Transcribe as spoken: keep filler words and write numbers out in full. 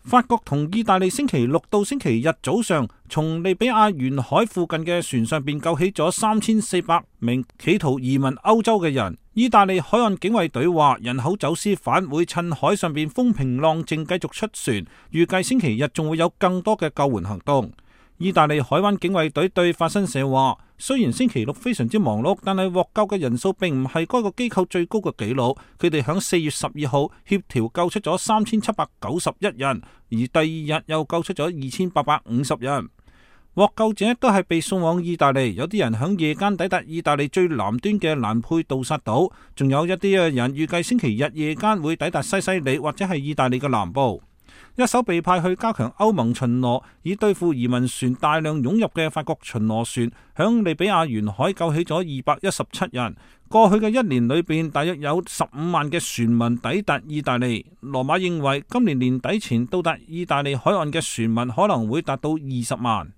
法國同意大利星期六到星期日早上，從利比亞沿海附近嘅船上邊救起咗三千四百名企圖移民歐洲嘅人。意大利海岸警衛隊話，人口走私犯會趁海上邊風平浪靜繼續出船，預計星期日仲會有更多嘅救援行動。意大利海灣警衛隊對法新社話，雖然星期六非常之忙碌，但係獲救嘅人數並唔係該個機構最高嘅紀錄。佢哋響四月十二號協調救出咗三千七百九十一人，而第二日又救出咗二千八百五十人。獲救者都係被送往意大利，有啲人響夜間抵達意大利最南端嘅蘭佩杜薩島，仲有一啲嘅人預計星期日夜間會抵達西西里或者係意大利嘅南部。一艘被派去加強歐盟巡邏，以對付移民船大量湧入嘅法國巡邏船，響利比亞沿海救起咗二百一十七人。過去嘅一年裏邊，大約有十五萬嘅船民抵達意大利。羅馬認為今年年底前到達意大利海岸嘅船民可能會達到二十萬。